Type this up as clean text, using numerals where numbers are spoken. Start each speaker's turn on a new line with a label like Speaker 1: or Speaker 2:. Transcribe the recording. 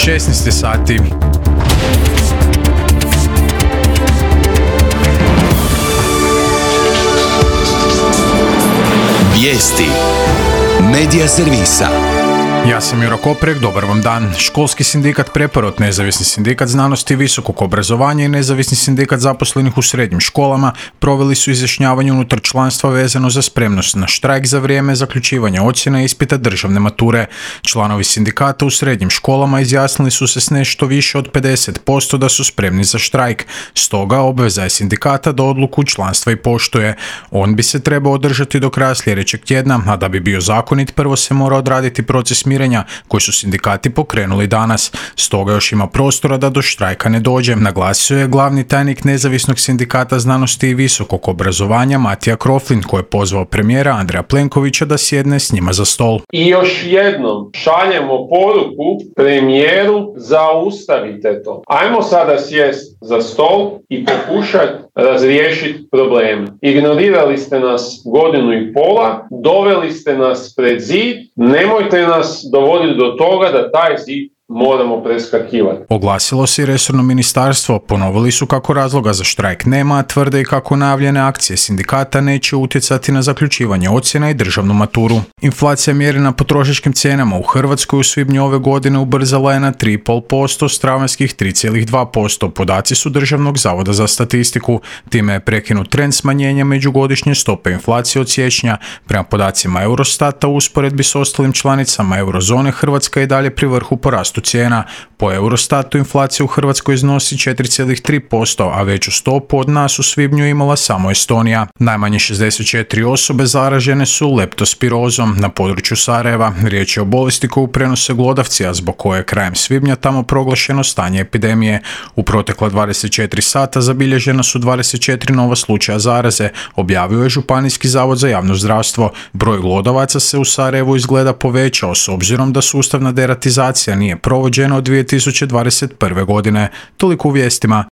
Speaker 1: 16 sati.
Speaker 2: Vijesti Medija servisa.
Speaker 1: Ja sam Juro Koprek, dobar vam dan. Školski sindikat Preporod, Nezavisni sindikat znanosti i visokog obrazovanja i Nezavisni sindikat zaposlenih u srednjim školama proveli su izjašnjavanje unutar članstva vezano za spremnost na štrajk za vrijeme zaključivanja ocjena ispita državne mature. Članovi sindikata u srednjim školama izjasnili su se s nešto više od 50% da su spremni za štrajk. Stoga obveza je sindikata da odluku članstva i poštuje. On bi se trebao održati do kraja sljedećeg tjedna, a da bi bio zakonit prvo se mora odraditi proces mirenja koji su sindikati pokrenuli danas. Stoga još ima prostora da do štrajka ne dođe, naglasio je glavni tajnik Nezavisnog sindikata znanosti i visokog obrazovanja Matija Kroflin, koji je pozvao premijera Andreja Plenkovića da sjedne s njima za stol.
Speaker 3: I još jednom šaljemo poruku premijeru, zaustavite to. Ajmo sada sjesti za stol i pokušati razriješiti probleme. Ignorirali ste nas godinu i pola, doveli ste nas pred zid, nemojte nas dovoditi do toga da taj zid moramo preskakivati.
Speaker 1: Oglasilo se i resorno ministarstvo, ponovili su kako razloga za štrajk nema, a tvrde i kako najavljene akcije sindikata neće utjecati na zaključivanje ocjena i državnu maturu. Inflacija mjerena potrošačkim cijenama u Hrvatskoj u svibnju ove godine ubrzala je na 3,5% s travanjskih 3,2%. Podaci su Državnog zavoda za statistiku. Time je prekinut trend smanjenja međugodišnje stope inflacije od siječnja. Prema podacima Eurostata u usporedbi s ostalim članicama eurozone Hrvatska je dalje pri vrhu po rastu cijena. Po Eurostatu inflacija u Hrvatskoj iznosi 4,3%, a veću stopu od nas u svibnju imala samo Estonija. Najmanje 64 osobe zaražene su leptospirozom na području Sarajeva. Riječ je o bolesti koju prenose glodavci, a zbog koje je krajem svibnja tamo proglašeno stanje epidemije. U protekla 24 sata zabilježena su 24 nova slučaja zaraze, objavio je Županijski zavod za javno zdravstvo. Broj glodavaca se u Sarajevu izgleda povećao s obzirom da sustavna deratizacija nije provođena od 2021. godine. Toliko u vijestima.